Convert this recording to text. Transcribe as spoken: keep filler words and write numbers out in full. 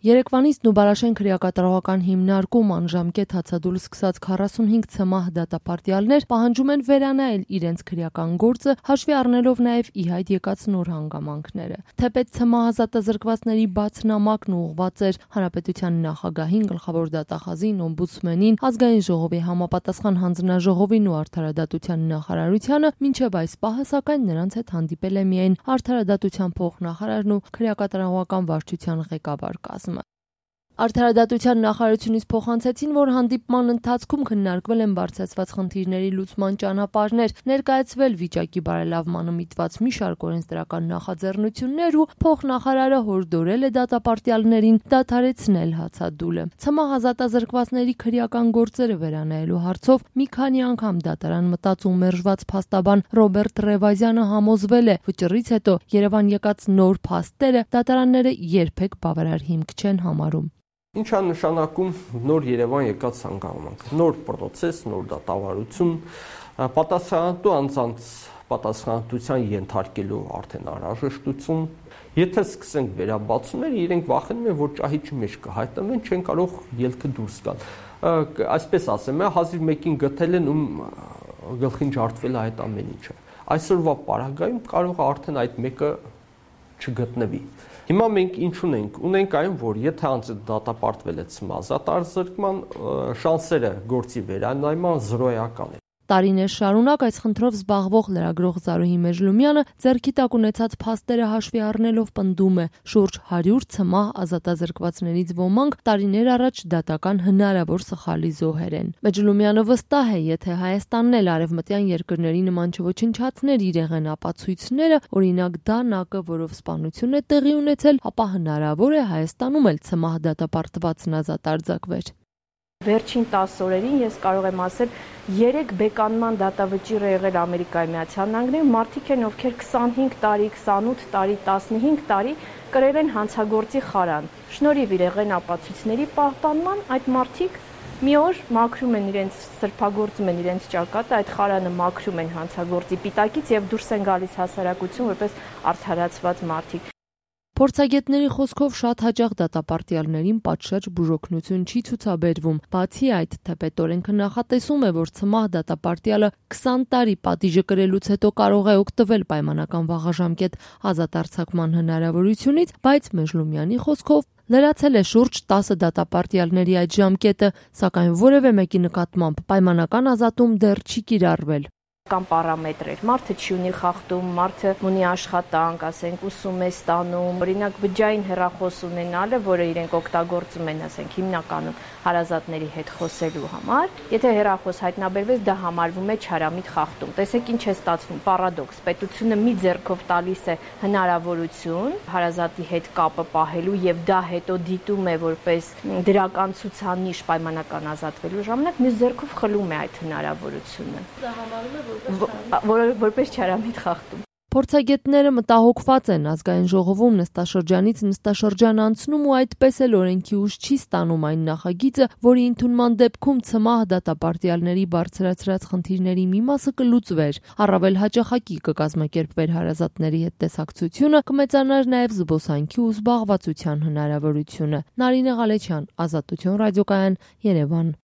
Երեկվանից Նուբարաշեն քրեակատարողական հիմնարկում անժամկետ հացադուլ սկսած քառասունհինգ ցմահ դատապարտյալներ պահանջում են վերանայել իրենց քրեական գործը, հաշվի առնելով նաև ի հայտ եկած նոր հանգամանքները։ Թեպետ ցմահ ազատազրկվածների բաց նամակն ուղղված էր Հանրապետության նախագահին, գլխավոր դատախազին, օմբուդսմենին, ազգային ժողովի համապատասխան հանձնաժողովին ու արդարադատության նախարարությանը, մինչև այս պահը սակայն նրանց հետ հանդիպել է միայն արդարադատության փոխնախարարն ու քրեակատարողական վարչության ղեկավար կազմը։ Արդարադատության նախարարությունից փոխանցեցին, որ հանդիպման ընթացքում քննարկվել են բարձրացված խնդիրների լուծման ճանապարհներ, ներկայացվել վիճակի բարելավմանը միտված մի շարք օրենսդրական նախաձեռնություններ ու փոխնախարարը հորդորել է դատապարտյալներին դադարեցնել հացադուլը։ Ցմահ ազատազրկվածների քրեական գործերը վերանայելու հարցով մի քանի անգամ դատարան մտած ու մերժված փաստաբան Ռոբերտ Ռևազյանը համոզվել է, վճռից հետո Երևան եկած նոր փաստերը դատարանները երբեք բավարար հիմք չեն համարում։ Ինչ է նշանակում նոր Երևան եկած հանգամանք, նոր պրոցես, նոր դատավարություն, պատասխանատու անձանց պատասխանատվության ենթարկելու արդեն անհրաժեշտություն։ Եթե սկսենք վերաբացումներ, իրենք վախենում են, որ ճահիճի մեջ կհայտնվեն, չեն կարող ելքը դուրս գալ։ Այսպես ասեմ, հազիվ մեկին գտել են, ում գլխին ջարդվել է այդ ամեն ինչը։ Այսօրվա պարագայում կարող է արդեն այդ մեկը չգտնվի։ Հիմա մենք ինչ ունենք, ունենք այն, որ եթե անձը դատապարտվել է ցմահ ազատազրկման, շանսերը գործի վերանայման զրոյական են։ Տարիներ շարունակ այս խնդրով զբաղվող լրագրող Զարուհի Մեժլումյանը ձեռքի տակ ունեցած փաստերը հաշվի առնելով պնդում է, շուրջ հարյուր ցմահ ազատազրկվածներից ոմանք տարիներ առաջ դատական հնարավոր սխալի զոհեր են։ Մեջլումյանը վստահ է, եթե Հայաստանն էլ արևմտյան երկրների նման չոչնչացներ իրեղեն ապացույցները, օրինակ դա ՆԱԿ-ը, որով սպանություն է տեղի ունեցել, ապա հնարավոր է Հայաստանում էլ ցմահ դատապարտվածն ազատ արձակվեր։ Վերջին տասը օրերին ես կարող եմ ասել երեք բեկանման դատավճիռ է եղել Ամերիկայի Միացյալ Նահանգներում, մարդիկ են, ովքեր քսանհինգ տարի, քսանութ տարի, տասնհինգ տարի կրել են հանցագործի խարան։ Շնորհիվ իրեղեն ապացույցների պահպանման այդ մարդիկ մի օր մաքրում են իրենց, սրբագործում են իրենց ճակատը, այդ խարանը մաքրում են հանցագործի պիտակից եւ դուրս են գալիս հասարակություն որպես արդարացված մարդիկ։ Փորձագետների խոսքով շատ հաճախ դատապարտյալներին պատշաճ բուժօգնություն չի ցուցաբերվում։ Բացի այդ, թեպետ օրենքը նախատեսում է, որ ցմահ դատապարտյալը քսան տարի պատիժը կրելուց հետո կարող է օգտվել պայմանական վաղաժամկետ ազատ արձակման հնարավորությունից, բայց Մեժլումյանի խոսքով լրացել է շուրջ տասը դատապարտյալների այդ ժամկետը, սակայն որևէ մեկի նկատմամբ պայմանական ազատում դեռ չի կիրառվել։ Կամ պարամետրեր, մարդը չի ունի խախտում, մարդը ունի աշխատանք, ասենք ուսում է ստանում, օրինակ բջջային հեռախոս ունենալը, որը իրենք օգտագործում են, ասենք հիմնականում հարազատների հետ խոսելու համար, եթե հեռախոս հայտնաբերվեց, դա համարվում է չարամիտ խախտում։ Տեսեք ինչ է ստացվում, պարադոքս, պետությունը մի ձեռքով տալիս է հնարավորություն հարազատի հետ կապը պահելու եւ դա հետո դիտում է որպես դրական ցուցանիշ պայմանական ազատվելու ժամանակ, մյուս ձեռքով խլում է այդ հնարավորությունը։ Դա համարվում է որպես չարամիտ խախտում։ Փորձագետները մտահոգված են ազգային ժողովում նստաշրջանից նստաշրջան անցնում ու այդպես էլ օրենքի ուժ չի ստանում այն նախագիծը, որի ընդունման դեպքում ցմահ դատապարտյալների բարձրացրած խնդիրների մի մասը կլուծվեր, առավել հաճախակի կկազմակերպվեր հարազատների հետ տեսակցությունը, կմեծանար նաև զբոսանքի ու զբաղվածության հնարավորությունը։ Նարինե Ղալեչյան, Ազատություն ռադիոկայան, Երևան։